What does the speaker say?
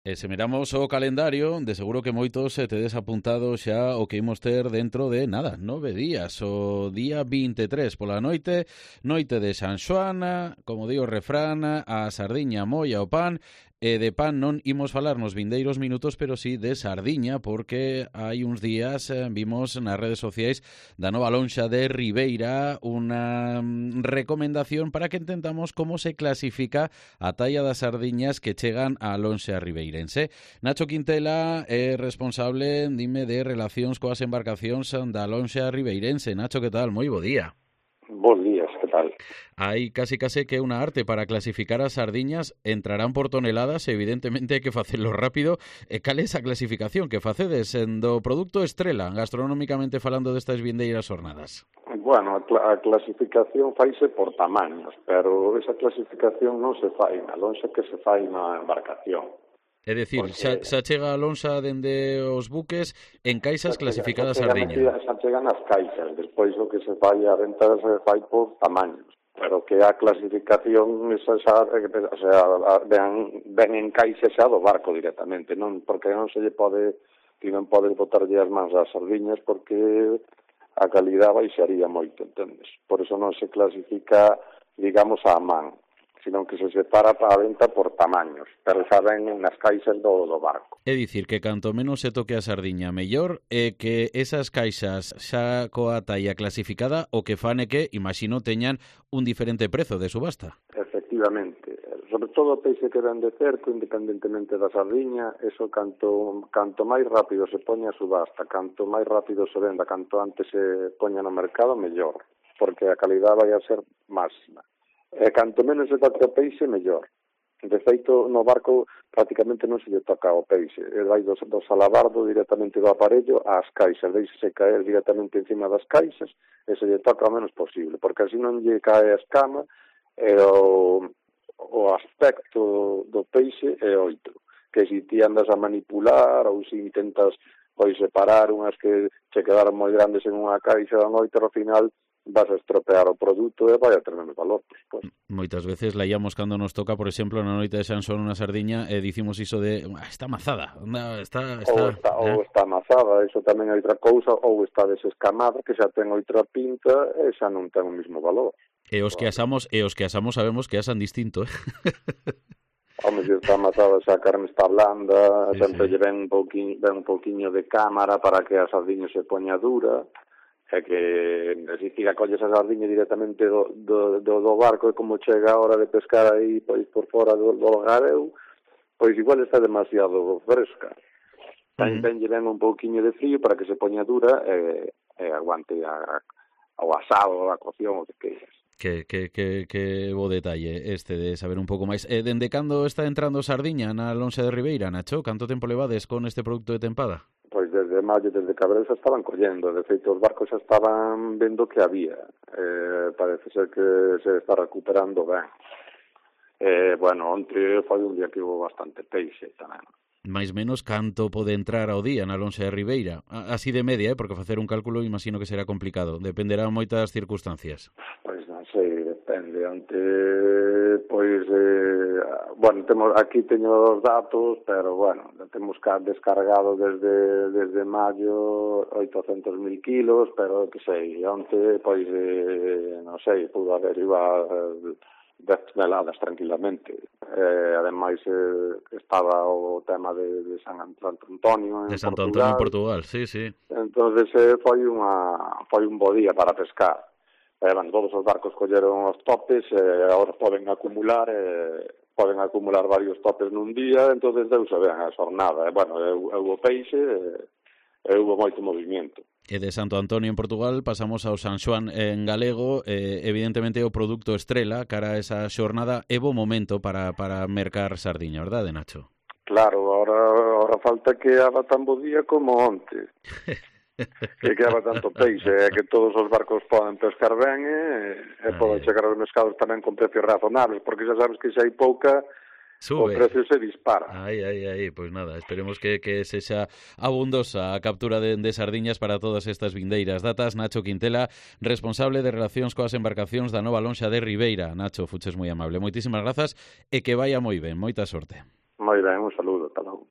E se miramos o calendario, de seguro que moitos tedes apuntado xa o que imos ter dentro de, 9 días. O día 23 pola noite de San Xoán, como di o refrán, a sardiña molla o pan, e de pan non imos falar nos vindeiros minutos, pero sí de sardiña, porque hai uns días vimos nas redes sociais da nova lonxa de Ribeira unha recomendación para que entendamos como se clasifica a talla das sardiñas que chegan á lonxa ribeirense. Nacho Quintela é responsable, dime, de relacións coas embarcacións da lonxa ribeirense. Nacho, que tal? Moi bo día. Bos días, que tal? Hai case que unha arte para clasificar as sardiñas, entrarán por toneladas, evidentemente hai que facelo rápido. E cal é esa clasificación que facedes do produto estrela, gastronómicamente falando destas vindeiras jornadas? Bueno, a clasificación faise por tamaños, pero esa clasificación non se fai na lonxa, que se fai na embarcación. É dicir, porque xa chega a lonxa dende os buques en caixas clasificadas sardiña. Xa chegan as caixas, despois o que se fai a venta se fai por tamaños, pero que a clasificación esa xa, o sea, ven en caixa xa do barco directamente, non, porque non se lle pode, ti non podes botarlle as mans ás sardiñas porque a calidad baixaría moito, entendes? Por eso non se clasifica, digamos, a man, sino que se separa para a venta por tamaños, pero xa ven nas caixas do barco. É dicir, que canto menos se toque a sardiña mellor, e que esas caixas xa coa talla clasificada o que fan é que, imagino, teñan un diferente prezo de subasta. Efectivamente, sobre todo o peixe que ven de cerco, independentemente da sardiña, eso canto máis rápido se poña a subasta, canto máis rápido se venda, canto antes se poña no mercado, mellor, porque a calidad vai a ser máxima. E canto menos se toca o peixe, mellor. De feito, no barco prácticamente non se lle toca o peixe. Vai do salabardo directamente do aparello ás caixas, deixese caer directamente encima das caixas e se lle toca o menos posible, porque así non lle cae a escama e o aspecto do peixe é outro. Que se ti andas a manipular ou se intentas separar unhas que che quedaron moi grandes en unha caixa da noite, ao final vas a estropear o produto e vai a ter menos valor, por suposto. Moitas veces laíamos cando nos toca, por exemplo, na noite de San Xoán unha sardiña e dicimos iso de está amazada, ou está amazada, iso tamén é outra cousa, ou está desescamada, que xa ten outra pinta e xa non ten o mesmo valor. E os que asamos sabemos que asan distinto, Home, se está amazada, xa a carne está blanda, sempre lle ven un pouquiño de cámara para que a sardiña se poña dura. É que se ti acolles a sardiña directamente do barco e como chega a hora de pescar aí por fora do gareu, pois igual está demasiado fresca. Tamén lle ven un pouquiño de frío para que se poña dura e aguante o asado, a cocción, o que queiras. Que bo detalle este de saber un pouco máis. Dende cando está entrando sardiña na lonxa de Ribeira, Nacho? Canto tempo levades con este produto de tempada? Pois desde maio, desde Cabrera xa estaban collendo, de feito os barcos xa estaban vendo que había, parece ser que se está recuperando ben. Bueno, onte foi un día que hubo bastante peixe tamén. Mais menos canto pode entrar ao día na lonxa de Ribeira? Así de media, porque facer un cálculo imagino que será complicado, dependerá moitas circunstancias. Pois non sei, depende. Onte, bueno, aquí teño os datos, pero bueno, temos descargado desde maio 800.000 kilos, pero que sei, onte, non sei, pudo haber igual 10 toneladas tranquilamente. Ademais, estaba o tema de San Antonio en Portugal. De Santo Antonio en Portugal, sí. Entonces foi un bo día para pescar. Todos os barcos colleron os topes, agora poden acumular varios topes nun día, entonces deuse ben a xornada. Houve peixe e houve moito movimento. E de Santo Antonio en Portugal pasamos ao San Xoán en galego, evidentemente o produto estrela cara a esa xornada é bo momento para mercar sardiña, verdade, Nacho? Claro, ahora falta que haga tan bo día como onte. Que haga tanto peixe, que todos os barcos poden pescar ben e poden chegar aos mercados tamén con precios razonables, porque xa sabes que xa hai pouca, sube. O precio se dispara. Pois nada, esperemos que sexa abundosa a captura de sardiñas para todas estas vindeiras datas. Nacho Quintela, responsable de relacións coas embarcacións da nova lonxa de Ribeira. Nacho, fuches moi amable. Moitísimas grazas e que vaya moi ben. Moita sorte. Moi ben, un saludo, ata logo.